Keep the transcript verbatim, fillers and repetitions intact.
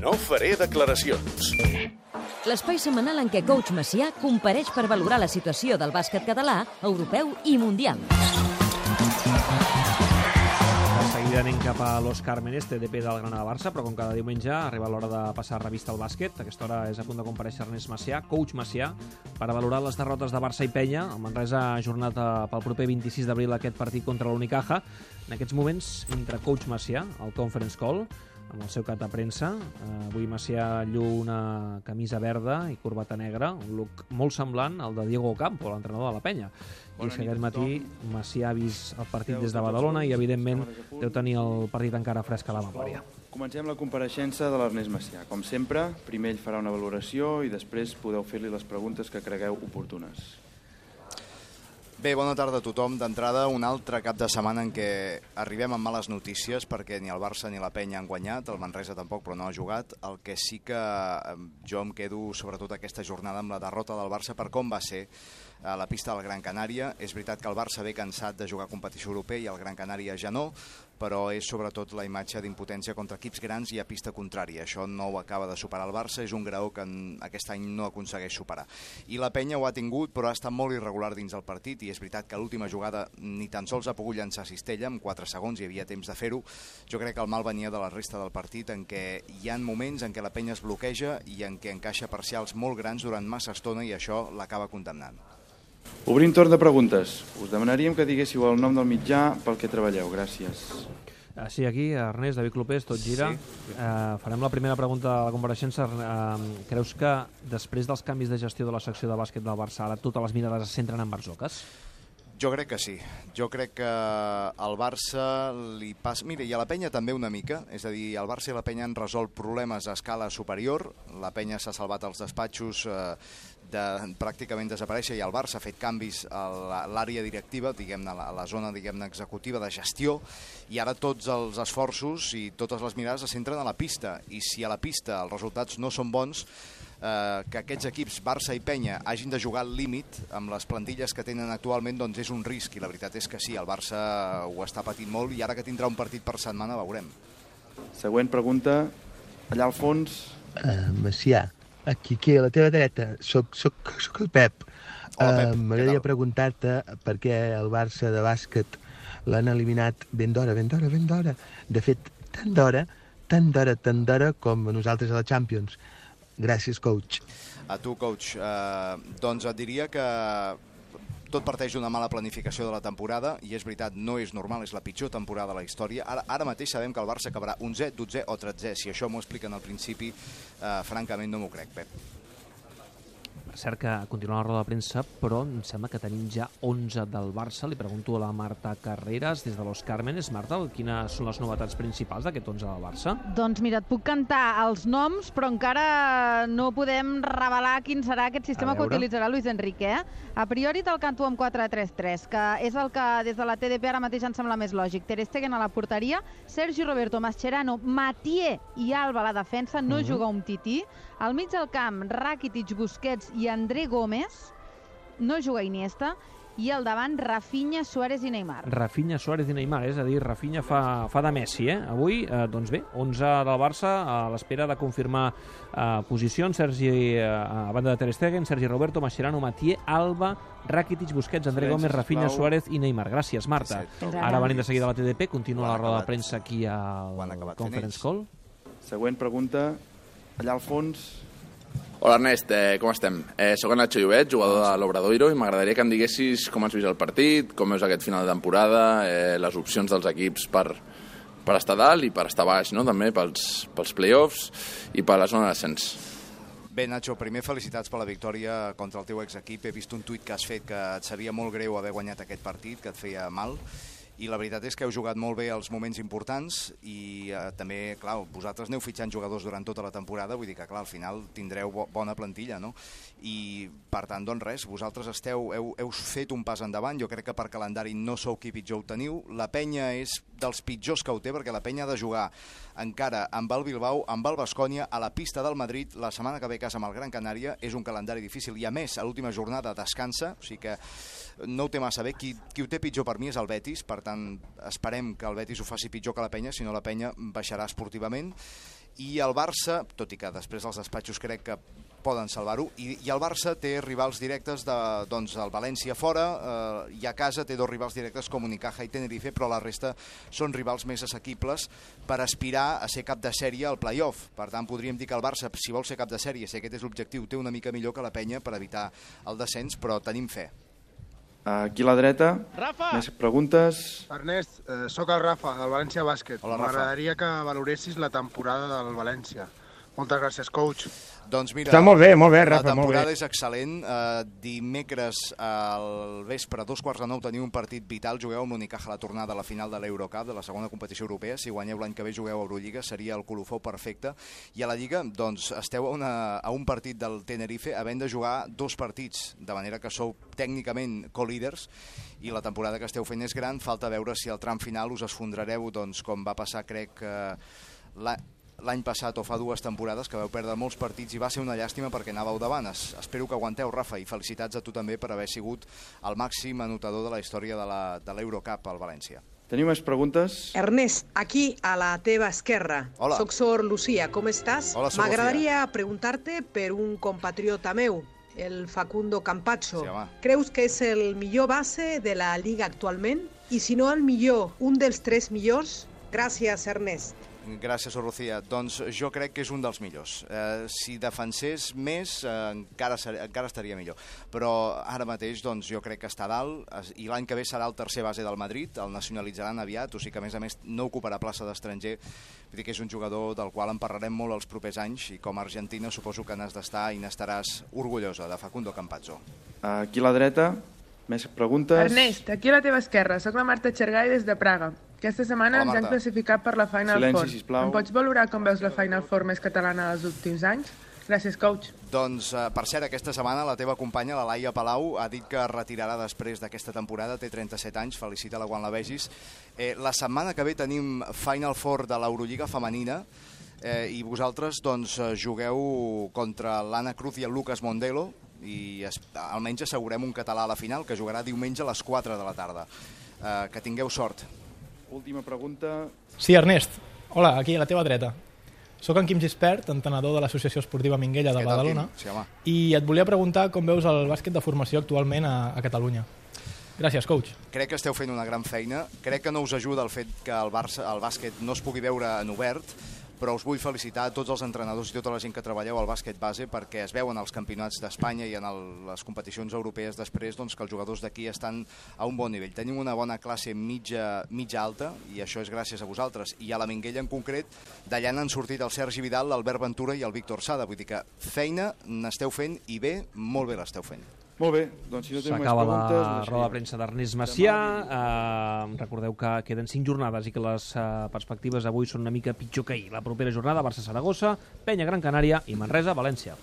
No faré declaracions. L'espai setmanal en què Coach Macià compareix per valorar la situació del bàsquet català, europeu i mundial. De seguida anem cap a Los Cármenes, T D P del Granada-Barça, però com cada diumenge arriba l'hora de passar revista al bàsquet. A aquesta hora és a punt de comparèixer Ernest Macià, Coach Macià, per a valorar les derrotes de Barça i Penya. El Manresa ha ajornat pel proper vint-i-sis d'abril aquest partit contra l'Unicaja. En aquests moments, entre Coach Macià, al conference call, amb el seu cap de premsa. Avui Macià lluu una camisa verda i corbata negra, un look molt semblant al de Diego Ocampo, l'entrenador de la Penya. I és que aquest matí Macià ha vist el partit des de Badalona i, evidentment, deu tenir el partit encara fresc a la memòria. Comencem la compareixença de l'Ernest Macià. Com sempre, primer ell farà una valoració i després podeu fer-li les preguntes que cregueu oportunes. Bé, bona tarda a tothom. D'entrada, un altre cap de setmana en què arribem amb males notícies perquè ni el Barça ni la Penya han guanyat, el Manresa tampoc, però no ha jugat. El que sí que jo em quedo, sobretot aquesta jornada, amb la derrota del Barça per com va ser a la pista del Gran Canària. És veritat que el Barça ve cansat de jugar competició europea i el Gran Canària ja no, però és sobretot la imatge d'impotència contra equips grans i a pista contrària. Això no ho acaba de superar el Barça, és un graó que aquest any no aconsegueix superar. I la Penya ho ha tingut, però ha estat molt irregular dins del partit, i és veritat que a l'última jugada ni tan sols ha pogut llançar cistella, amb quatre segons hi havia temps de fer-ho. Jo crec que el mal venia de la resta del partit, en què hi ha moments en què la Penya es bloqueja i en què encaixa parcials molt grans durant massa estona, i això l'acaba condemnant. Obrim torn de preguntes. Us demanaríem que diguéssiu el nom del mitjà pel que treballeu. Gràcies. Sí, aquí, Ernest, David Clopés, tot gira. Sí. Uh, farem la primera pregunta de la compareixença. Uh, creus que després dels canvis de gestió de la secció de bàsquet del Barça, ara totes les mirades es centren en Barzocas? Jo crec que sí. Jo crec que al Barça li passa... Mira, i a la Penya també una mica. És a dir, el Barça i la Penya han resolt problemes a escala superior. La Penya s'ha salvat als despatxos eh, de pràcticament desaparèixer, i el Barça ha fet canvis a l'àrea directiva, diguem-ne, a la zona, diguem-ne, executiva de gestió, i ara tots els esforços i totes les mirades es centren a la pista. I si a la pista els resultats no són bons, eh, que aquests equips, Barça i Penya, hagin de jugar al límit amb les plantilles que tenen actualment, doncs és un risc, i la veritat és que sí, el Barça ho està patint molt, i ara que tindrà un partit per setmana veurem. Següent pregunta, allà al fons. Uh, Macià, aquí, aquí, a la teva dreta, soc, soc, soc el Pep. Hola, Pep. Uh, M'agradaria preguntar-te per què el Barça de bàsquet l'han eliminat ben d'hora, ben d'hora, ben d'hora. De fet, tan d'hora, tan d'hora, tan d'hora com a nosaltres a la Champions. Gràcies, coach. A tu, coach. Uh, doncs et diria que tot parteix d'una mala planificació de la temporada, i és veritat, no és normal, és la pitjor temporada de la història. Ara, ara mateix sabem que el Barça acabarà onzè, dotzè o tretzè. Si això m'ho expliquen al principi, eh, francament no m'ho crec, Pep. És cert que continua la roda de premsa, però em sembla que tenim ja onze del Barça. Li pregunto a la Marta Carreras, des de Los Cármenes. Marta, quines són les novetats principals d'aquest onze del Barça? Doncs mira, et puc cantar els noms, però encara no podem revelar quin serà aquest sistema que utilitzarà Luis Enrique. Eh? A priori te'l canto amb quatre tres tres, que és el que des de la T D P ara mateix em sembla més lògic. Ter Stegen a la porteria, Sergi Roberto, Mascherano, Mathieu i Alba a la defensa, no mm-hmm. juga un tití. Al mig del camp, Rakitic, Busquets i André Gómez, no juga Iniesta, i al davant Rafinha, Suárez i Neymar. Rafinha, Suárez i Neymar, és a dir, Rafinha fa, fa de Messi, eh? Avui, eh, doncs bé, onze del Barça, a l'espera de confirmar eh, posicions, Sergi, eh, a banda de Ter Stegen, Sergi Roberto, Mascherano, Mathieu, Alba, Rakitic, Busquets, André Gómez, Rafinha, Suárez i Neymar. Gràcies, Marta. Ara venim de seguida a la T D P, continua la roda de premsa aquí al Conference Call. Següent pregunta, allà al fons. Hola Ernest, eh, com estem? Eh, soc en Nacho Llobet, jugador de l'Obradoiro, i m'agradaria que em diguessis com has vist el partit, com veus aquest final de temporada, eh, les opcions dels equips per, per estar dalt i per estar baix, no? També pels, pels play-offs i per la zona d'ascens. Bé, Nacho, primer felicitats per la victòria contra el teu exequip. He vist un tuit que has fet que et sabia molt greu haver guanyat aquest partit, que et feia mal, i la veritat és que heu jugat molt bé els moments importants, i eh, també, clar, vosaltres aneu fitxant jugadors durant tota la temporada, vull dir que, clar, al final tindreu bo bona plantilla, no? I, per tant, doncs res, vosaltres esteu, heu, heu fet un pas endavant. Jo crec que per calendari no sou qui pitjor ho teniu. La Penya és dels pitjors que ho té, perquè la Penya ha de jugar encara amb el Bilbao, amb el Baskonia, a la pista del Madrid, la setmana que ve a casa amb el Gran Canària. És un calendari difícil, i a més, a l'última jornada descansa, o sigui que no ho té massa bé. Qui, qui ho té pitjor per mi és el Betis, per tant, esperem que el Betis ho faci pitjor que la Penya, si no la Penya baixarà esportivament. I el Barça, tot i que després els despatxos crec que poden salvar-ho, i, i el Barça té rivals directes de, doncs, el València fora, eh, i a casa té dos rivals directes com Unicaja i Tenerife, però la resta són rivals més assequibles per aspirar a ser cap de sèrie al play-off. Per tant, podríem dir que el Barça, si vol ser cap de sèrie, si aquest és l'objectiu, té una mica millor que la Penya per evitar el descens, però tenim fe. Aquí a la dreta, Rafa! més preguntes. Ernest, eh, sóc el Rafa, del València Bàsquet. Hola, Rafa. M'agradaria que valoressis la temporada del València. Moltes gràcies, coach. Doncs mira, Està molt bé, molt bé, Rafa, la molt temporada bé. és excel·lent. Uh, dimecres al vespre, a dos quarts de nou, teniu un partit vital. Jugueu amb l'Unicaja a la tornada a la final de l'Eurocup, de la segona competició europea. Si guanyeu l'any que ve, jugueu a Eurolliga, seria el colofó perfecte. I a la Lliga, doncs, esteu a, una, a un partit del Tenerife, havent de jugar dos partits, de manera que sou tècnicament co-líders, i la temporada que esteu fent és gran. Falta veure si al tram final us esfondrareu, doncs, com va passar, crec, uh, la... l'any passat o fa dues temporades, que vau perdre molts partits i va ser una llàstima perquè anàveu davant. Es, espero que aguanteu, Rafa, i felicitats a tu també per haver sigut el màxim anotador de la història de l'Eurocup al València. Teniu més preguntes? Ernest, aquí a la teva esquerra. Hola. Soc Sor Lucía, com estàs? Hola, Sor M'agradaria preguntar-te per un compatriota meu, el Facundo Campazzo. Sí, home. Creus que és el millor base de la Lliga actualment? I si no el millor, un dels tres millors? Gràcies, Ernest. Gràcies, Lucía. Doncs jo crec que és un dels millors. Eh, si defensés més, eh, encara, ser, encara estaria millor. Però ara mateix doncs, jo crec que està dalt, i l'any que ve serà el tercer base del Madrid, el nacionalitzaran aviat, o sigui que a més a més no ocuparà plaça d'estranger. Vull dir que és un jugador del qual en parlarem molt els propers anys, i com a argentina suposo que n'has d'estar i n'estaràs orgullosa, de Facundo Campazzo. Aquí a la dreta, més preguntes. Ernest, aquí a la teva esquerra, soc la Marta Xergai des de Praga. Aquesta setmana Hola, ens han Marta. classificat per la Final Silenci, Four. sisplau. Em pots valorar com veus la Final Four més catalana dels últims anys? Gràcies, coach. Doncs, eh, per cert, aquesta setmana la teva companya, la Laia Palau, ha dit que es retirarà després d'aquesta temporada, té trenta-set anys, felicita-la quan la vegis. Eh, la setmana que ve tenim Final Four de l'Eurolliga femenina, eh, i vosaltres doncs, jugueu contra l'Anna Cruz i el Lucas Mondelo, i es, almenys assegurem un català a la final, que jugarà diumenge a les quatre de la tarda. Eh, que tingueu sort. Última pregunta. Sí, Ernest. Hola, aquí a la teva dreta. Soc en Quim Gispert, entenedor de l'Associació Esportiva Minguella de Què tal, Badalona, Quim? Sí, home. i et volia preguntar com veus el bàsquet de formació actualment a, a Catalunya. Gràcies, coach. Crec que esteu fent una gran feina. Crec que no us ajuda el fet que el, Barça, el bàsquet no es pugui veure en obert, però us vull felicitar a tots els entrenadors i tota la gent que treballeu al bàsquet base, perquè es veuen als campionats d'Espanya i en el, les competicions europees després, doncs, que els jugadors d'aquí estan a un bon nivell. Tenim una bona classe mitja, mitja alta, i això és gràcies a vosaltres. I a la Minguella en concret, d'allà n'han sortit el Sergi Vidal, l'Albert Ventura i el Víctor Sada. Vull dir que feina n'esteu fent, i bé, molt bé l'esteu fent. Molt bé, doncs si no tenim més S'acaba preguntes... la roda de premsa d'Ernest Macià. Eh, recordeu que queden cinc jornades i que les eh, perspectives avui són una mica pitjor que ahir. La propera jornada, Barça-Saragossa, Penya-Gran Canària i Manresa-València.